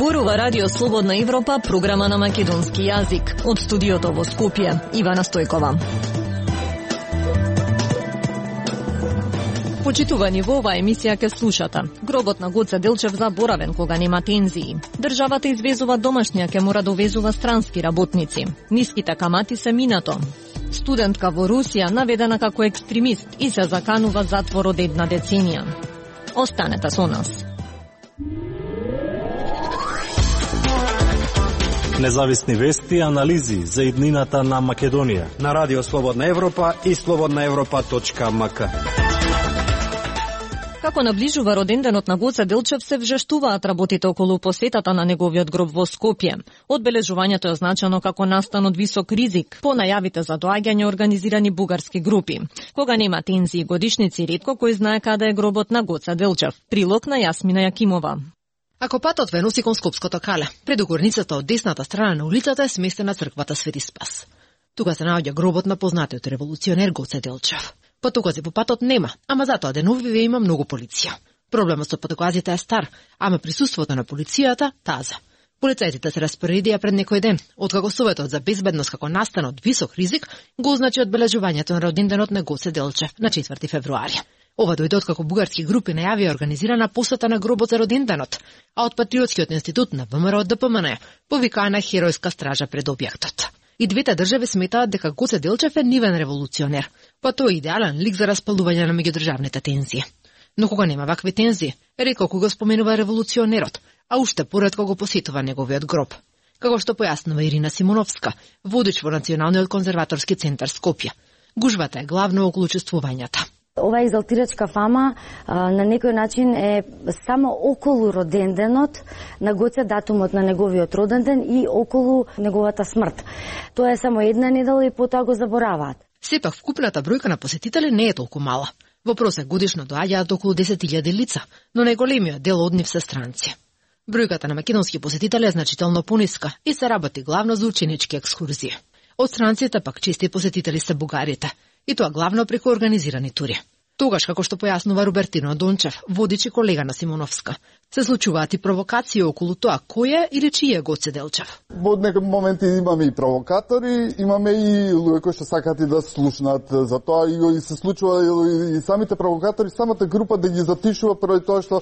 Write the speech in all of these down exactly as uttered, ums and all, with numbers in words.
Зборува Радио Слободна Европа, програма на македонски јазик. Од студиото во Скопје, Ивана Стојкова. Почитувани, во оваа емисија ке слушате. Гробот на Гоце Делчев заборавен кога нема тензии. Државата извезува домашња, ке мора довезува странски работници. Ниските камати се минато. Студентка во Русија наведена како екстремист и се заканува затвор од една деценија. Останете со нас. Независни вести и анализи за иднината на Македонија на Радио Слободна Европа и слободна европа точка ем ка. Како наближува роденденот на Гоце Делчев, се вжештуваат работите околу посетата на неговиот гроб во Скопје. Одбележувањето е означено како настан од висок ризик по најавите за доаѓање организирани бугарски групи. Кога нема тензии годишници, ретко кој знае каде е гробот на Гоце Делчев. Прилог на Јасмина Јакимова. Ако патот ве носи кон Скопското кале, пред горницата од десната страна на улицата е сместена црквата Свети Спас. Тука се наоѓа гробот на познатиот револуционер Гоце Делчев. Патокази по патот нема, ама затоа деновиве има многу полиција. Проблемот со патоказите е стар, ама присуството на полицијата таза. Полицајците се распоредија пред некој ден, откако Советот за безбедност како настан од висок ризик го означи одбележувањето на роденденот на Гоце Делчев на четврти февруари. Ова дојде откако бугарски групи најавија организирана посета на гробот за роденденот, а од Патриотскиот институт на ВМРО Д П М Н повикаана херојска стража пред објектот. И двете држави сметаат дека Гоце Делчев е нивен револуционер, па тој е идеален лик за распалување на меѓудржавните тензии. Но кога нема вакви тензии, рекоко го споменува револуционерот, а уште поретко го посетува неговиот гроб. Како што појаснува Ирина Симоновска, водич во Националниот конзерваторски центар Скопје. Гужвата е главно околу чувствувањата. Ова екзалтирачка фама а, на некој начин е само околу роденденот на Гоце, датумот на неговиот роден ден и околу неговата смрт. Тоа е само една недела и потоа го забораваат. Сепак вкупната бројка на посетители не е толку мала. Во просек годишно доаѓаат околу десет илјади лица, но најголемиот дел од нив се странци. Бројката на македонски посетители е значително пониска и се работи главно за ученички екскурзии. Од странците пак чести посетители се бугарите, и тоа главно преку организирани тури. Тогаш, како што појаснува Робертино Дончев, водич и колега на Симоновска, се случуваат и провокации околу тоа кој е или чиј е Гоце Делчев. Во некои моменти имаме и провокатори, имаме и луѓе кои што сакаат и да слушнат за тоа, и се случува и самите провокатори, самата група да ги затишува пред тоа што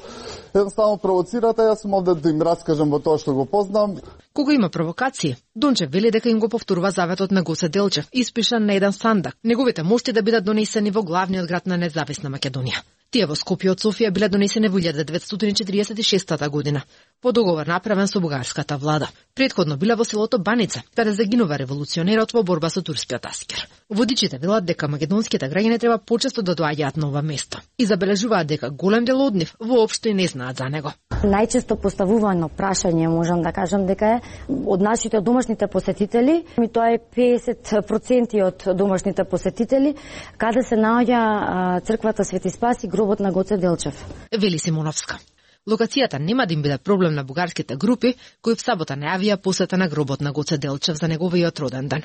едноставно провоцираат, а јас сум овде да им раскажам во тоа што го познам. Кога има провокации, Дончев вели дека им го повторува заветот на Гоце Делчев, испишан на еден сандак, неговите мошти да бидат донесени во главниот град на независна Македонија. Тие во Скопје од Софија биле донесени во илјада деветстотини четиридесет и шеста година, по договор направен со бугарската влада. Предходно биле во селото Баница, каде загинува револуционерот во борба со турскиот аскер. Водичите велат дека македонските граѓани треба почесто да доаѓаат на ова место и забележуваат дека голем дел од нив воопшто и не знаат за него. Најчесто поставувано прашање, можам да кажам дека е од нашите домашните посетители, и тоа е педесет проценти од домашните посетители, каде се наоѓа црквата Свети Спас и гробот на Гоце Делчев. Вели Симоновска. Локацијата нема да им биде проблем на бугарските групи, кои в сабота најавија посета на гробот на Гоце Делчев за неговиот роден ден.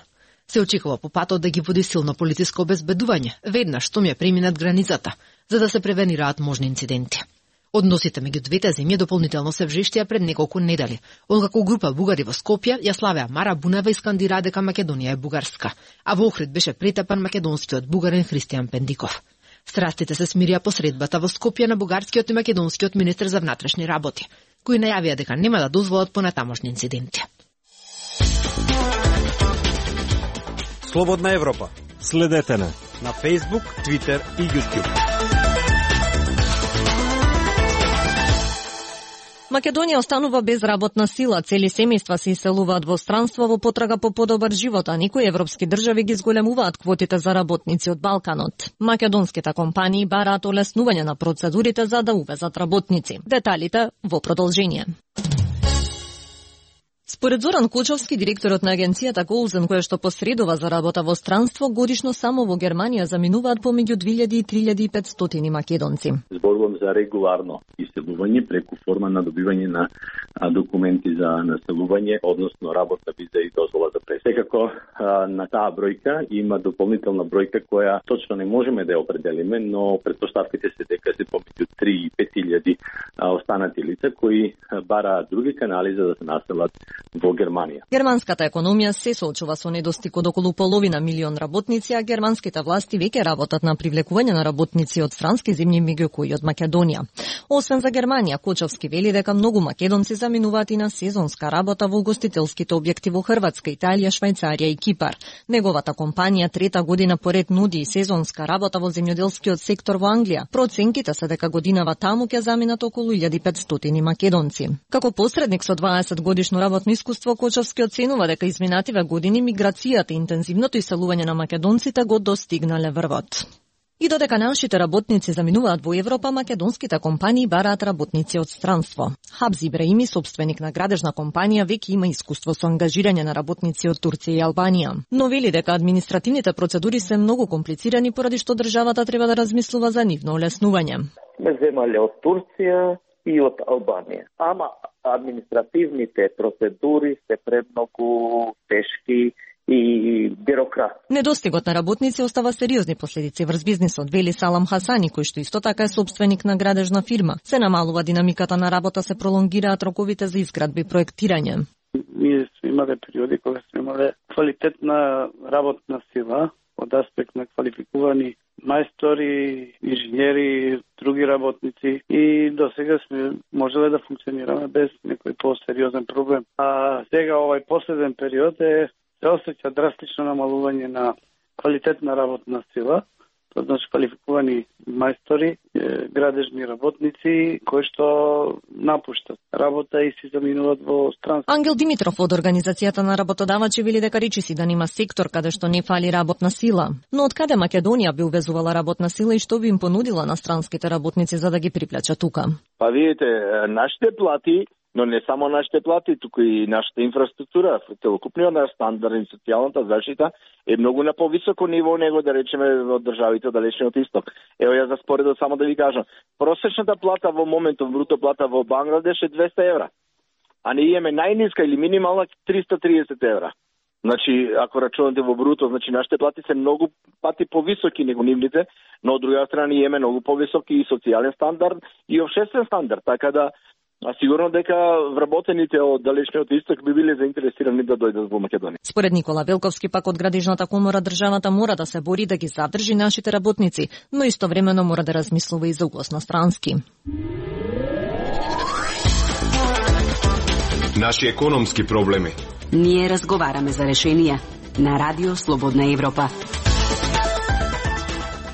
Се очекува по патот да ги води силно полициско обезбедување, веднаш што ми е преминат границата, за да се превенираат можни инциденти. Односите меѓу двете земји дополнително се вжештија пред неколку недели, откако група бугари во Скопје ја славеа Мара Бунева и скандира дека Македонија е бугарска, а во Охрид беше претепан македонскиот бугарин Христијан Пендиков. Страстите се смирија по средбата во Скопје на бугарскиот и македонскиот министер за внатрешни работи, кои најавија дека нема да дозволат понатамошни инциденти. Слободна Европа. Следете на на Facebook, Twitter и YouTube. Македонија останува без работна сила, цели семејства се иселуваат во странство во потрага по подобар живот, а некои европски држави ги зголемуваат квотите за работници од Балканот. Македонските компании бараат олеснување на процедурите за да увезат работници. Деталите во продолжение. Според Зоран Кочовски, директорот на агенцијата Голзен, која што посредува за работа во странство, годишно само во Германија заминуваат помеѓу две илјади и три илјади и петстотини македонци. Зборувам за регуларно иселување преку форма на добивање на документи за населување, односно работна виза и дозвола за пресек. Секако на таа бројка има дополнителна бројка која точно не можеме да ја определиме, но претпоставките се дека се помеѓу три и пет илјади останати лица кои бараат други канали за да се населат во Германија. Германската економија се соочува со недостиг од околу половина милион работници, а германските власти веќе работат на привлекување на работници од странски земји, меѓу кои од Македонија. Освен за Германија, Кочовски вели дека многу македонци заминуваат и на сезонска работа во угостителските објекти во Хрватска, Италија, Швајцарија и Кипар. Неговата компанија трета година поред нуди и сезонска работа во земјоделскиот сектор во Англија. Проценките се дека годинава таму ќе заминат околу илјада и петстотини македонци. Како посредник со дваесет годишно работно искуство, Кочовски оценува дека изминативе години миграцијата и интензивното иселување на македонците го достигнале врвот. И додека нашите работници заминуваат во Европа, македонските компании бараат работници од странство. Хабз Ибраими, собственик на градежна компанија, веќе има искуство со ангажирање на работници од Турција и Албанија. Но вели дека административните процедури се многу комплицирани, поради што државата треба да размислува за нивно олеснување. Ме земале од Турција и од Албанија. Ама административните процедури се премногу тешки и бюрократ. Недостигот на работници остава сериозни последици врз бизнисот, вели Салам Хасани, кој што исто така е собственик на градежна фирма. Се намалува динамиката на работа, се пролонгираат роковите за изградби и проектирање. Ние сме имале периоди кога сме имале квалитетна работна сила од аспект на квалификувани мајстори, инженери, други работници и до сега сме можеле да функционираме без некој посериозен проблем. А сега овај последен период е се осеќа драстично намалување на квалитетна работна сила, тоа значи квалификувани мајстори, градежни работници кои што напуштат работа и си заминуваат во странство. Ангел Димитров од Организацијата на работодавачи вели дека речиси да нема сектор каде што не фали работна сила. Но од каде Македонија би увезувала работна сила и што би им понудила на странските работници за да ги приплача тука? Па видите, нашите плати, но не само нашите плати, туку и нашата инфраструктура, целокупниот наш стандард и социјалната заштита е многу на повисоко ниво него, да речеме, од државите од далечниот исток. Ево ја за споредо само да ви кажам, просечната плата во моментов, бруто плата во Бангладеш е двеста евра, а ние имаме најниска или минимална триста и триесет евра. Значи, ако рачунате во бруто, значи нашите плати се многу пати повисоки него нивните, но од друга страна ние имаме многу повисоки и социјален стандард и општествен стандард, така да а сигурно дека вработените од далечниот исток би биле заинтересирани да дојдат во Македонија. Според Никола Велковски, пак од Градежната комора, државата мора да се бори да ги задржи нашите работници, но истовремено мора да размислува и за углас на странски. Наши економски проблеми. Ние разговараме за решенија на Радио Слободна Европа.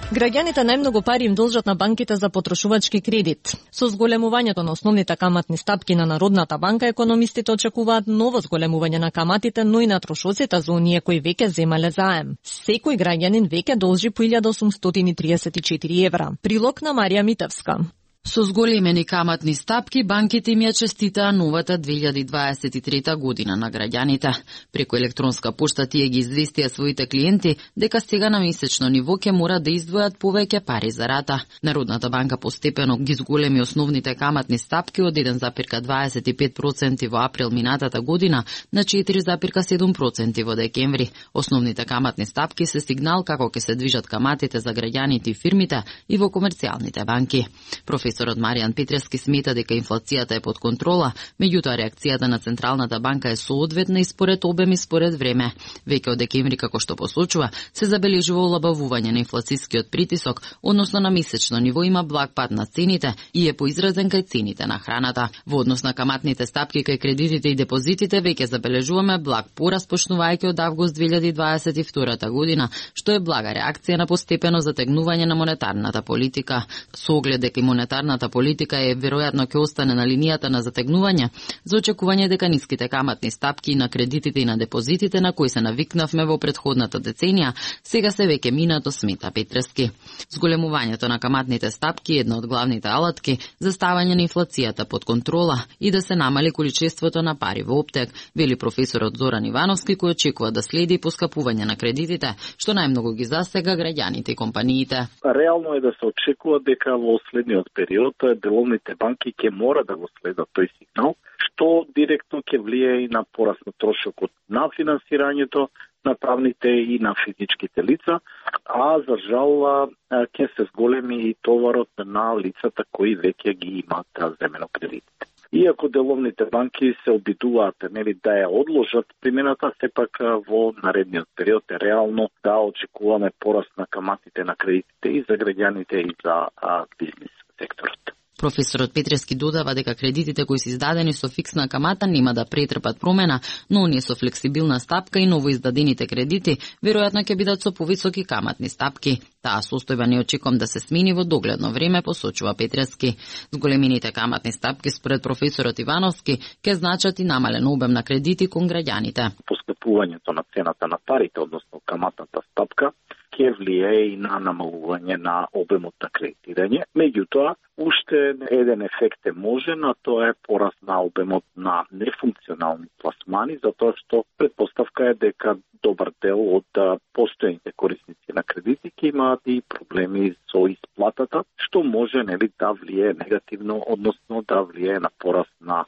Граѓаните најмногу пари им должат на банките за потрошувачки кредит. Со зголемувањето на основните каматни стапки на Народната банка, економистите очекуваат ново зголемување на каматите, но и на трошоците за оние кои веќе земале заем. Секој граѓанин веќе должи по илјада осумстотини триесет и четири евра. Прилог на Марија Митевска. Со зголемени каматни стапки, банките им ја честитаа новата две илјади дваесет и трета година на граѓаните. Преку електронска пошта тие ги известија своите клиенти дека сега на месечно ниво ќе мора да издвојат повеќе пари за рата. Народната банка постепено ги зголеми основните каматни стапки од еден зарез дваесет и пет проценти во април минатата година на четири зарез седум проценти во декември. Основните каматни стапки се сигнал како ќе се движат каматите за граѓаните и фирмите и во комерцијалните банки. Професор Професорот Маријан Петрески смета дека инфлацијата е под контрола, меѓутоа реакцијата на Централната банка е соодветна и според обем и според време. Веќе од декември, како што посочува, се забележува олабавување на инфлацискиот притисок, односно на месечно ниво има благ пад на цените и е поизразен кај цените на храната. Во однос на каматните стапки кај кредитите и депозитите веќе забележуваме благ пораст почнувајќи од август две илјади дваесет и втора година, што е блага реакција на постепено затегнување на монетарната политика. Со оглед дека и монетарната монетарната политика е веројатно ќе остане на линијата на затегнување, за очекување дека ниските каматни стапки на кредитите и на депозитите на кои се навикнавме во претходната деценија, сега се веќе минато, смета Петрески. Зголемувањето на каматните стапки е една од главните алатки за ставање на инфлацијата под контрола и да се намали количеството на пари во оптек, вели професорот Зоран Ивановски, кој очекува да следи поскапување на кредитите, што најмногу ги засега граѓаните и компаниите. Реално е да се очекува дека во следниот период деловните банки ќе мора да го следат тој сигнал, што директно ќе влие и на пораст на трошокот на финансирањето на правните и на физичките лица, а за жал ќе се зголеми и товарот на лицата кои веќе ги имаат земено кредитите. Иако деловните банки се обидуваат нели да ја одложат примената, сепак во наредниот период е реално да очекуваме пораст на каматите на кредитите и за граѓаните и за а, бизнис секторот. Професорот Петрески додава дека кредитите кои се издадени со фиксна камата нема да претрпат промена, но оние со флексибилна стапка и ново издадените кредити веројатно ќе бидат со повисоки каматни стапки. Таа состојба не очекувам да се смени во догледно време, посочува Петрески. Зголемените каматни стапки според професорот Ивановски ќе значат и намален обем на кредити кон граѓаните. Поскапувањето на цената на парите, односно каматната стапка, ќе влие и на намалување на обемот на кредитирање. Меѓутоа, уште еден ефект е можен, а тоа е пораст на обемот на нефункционални пласмани, затоа што предпоставка е дека добар дел од постојните корисници на кредити ќе имаат и проблеми со исплатата, што може нели да влие негативно, односно да влие на пораст на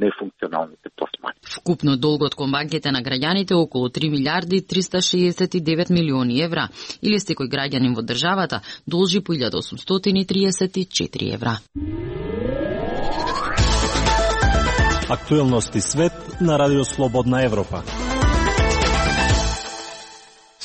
нефункционалните пласмани. Вкупно долгот кон банките на граѓаните околу три милиарди триста шеесет и девет милиони евра, или секој граѓанин во државата должи по илјада осумстотини триесет и четири евра. Актуелности свет на Радио Слободна Европа.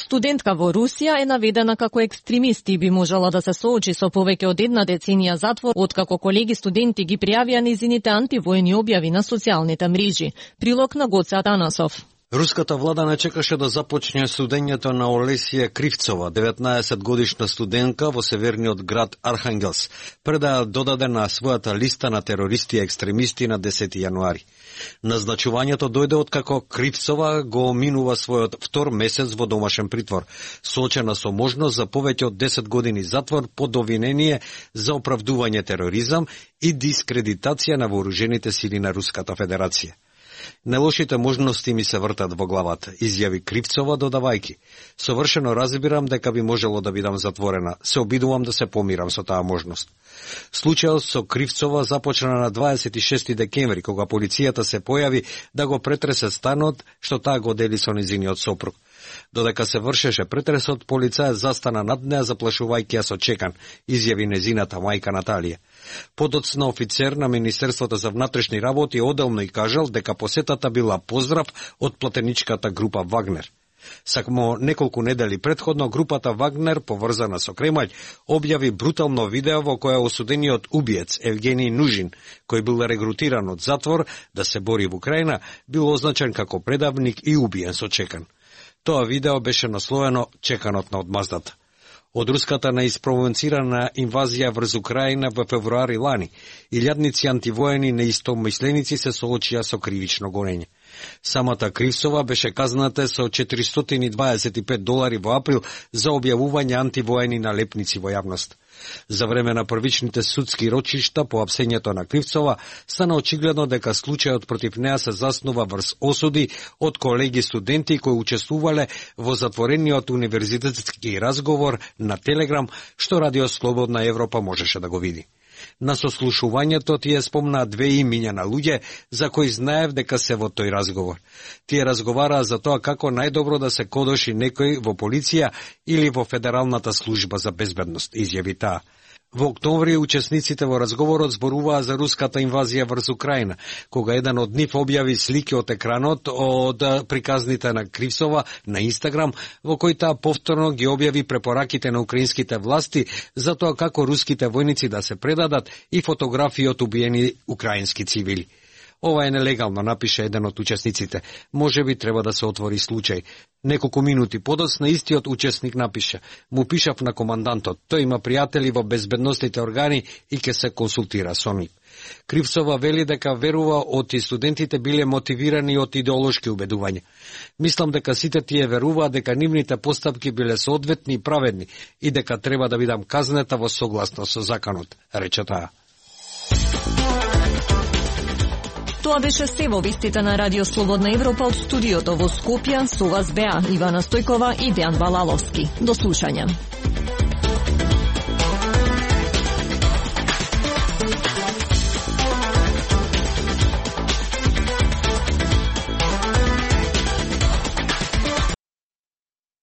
Студентка во Русија е наведена како екстремист и би можела да се соочи со повеќе од една деценија затвор, откако колеги студенти ги пријавија низините антивојни објави на социјалните мрежи. Прилог на Гоце Атанасов. Руската влада не чекаше да започне судењето на Олесија Кривцова, деветнаесет годишна студентка во северниот град Архангелс, пред да ја додаде на својата листа на терористи и екстремисти на десети јануари. Назначувањето дојде откако Кривцова го минува својот втор месец во домашен притвор, соочена со можност за повеќе од десет години затвор под обвинение за оправдување тероризам и дискредитација на вооружените сили на Руската Федерација. Нелошите можности ми се вртат во главата, изјави Кривцова додавајки. Совршено разбирам дека би можело да бидам затворена. Се обидувам да се помирам со таа можност. Случајот со Кривцова започна на дваесет и шести декември, кога полицијата се појави да го претресе станот што таа го дели со низиниот сопруг. Додека се вршеше претресот, полицајот застана над неа заплашувајќи ја со чекан, изјави незината мајка Наталија. Подоцна офицер на Министерството за внатрешни работи одделно и кажал дека посетата била поздрав од платеничката група Вагнер. Само неколку недели предходно групата Вагнер, поврзана со Кремљ, објави брутално видео во кое осудениот убиец Евгений Нужин, кој бил регрутиран од затвор да се бори во Украина, бил означен како предавник и убиен со чекан. Тоа видео беше насловено "Чеканот на одмаздата". Од руската неиспровоцирана инвазија врз Украина во февруари лани, илјадници антивоени неистомисленици се соочија со кривично гонење. Самата Кривцова беше казната со четиристотини и дваесет и пет долари во април за објавување антивоени налепници во јавност. За време на првичните судски рочишта по апсењето на Кривцова стана очигледно дека случајот против неа се заснува врз осуди од колеги студенти кои учествувале во затворениот универзитетски разговор на Телеграм, што Радио Слободна Европа можеше да го види. На сослушувањето тие спомнаа две имиња на луѓе за кои знаев дека се во тој разговор. Тие разговараа за тоа како најдобро да се кодоши некој во полиција или во Федералната служба за безбедност, изјави таа. Во октомври учесниците во разговорот зборуваа за руската инвазија врз Украина, кога еден од нив објави слики од екранот од приказните на Кривцова на Инстаграм, во кој таа повторно ги објави препораките на украинските власти за тоа како руските војници да се предадат и фотографии од убиени украински цивили. Ова е нелегално, напиша еден од учесниците. Може би треба да се отвори случај. Неколку минути подоцна истиот учесник напиша. Му пишав на командантот. Тој има пријатели во безбедносните органи и ќе се консултира со нив. Кривцова вели дека верува оти студентите биле мотивирани од идеолошки убедувања. Мислам дека сите тие веруваат дека нивните постапки биле соодветни и праведни и дека треба да бидам казнета во согласно со законот, рече таа. Тоа беше се во вестите на Радио Слободна Европа од студиото во Скопје. Со вас беа Ивана Стојкова и Дејан Балаловски. До слушање.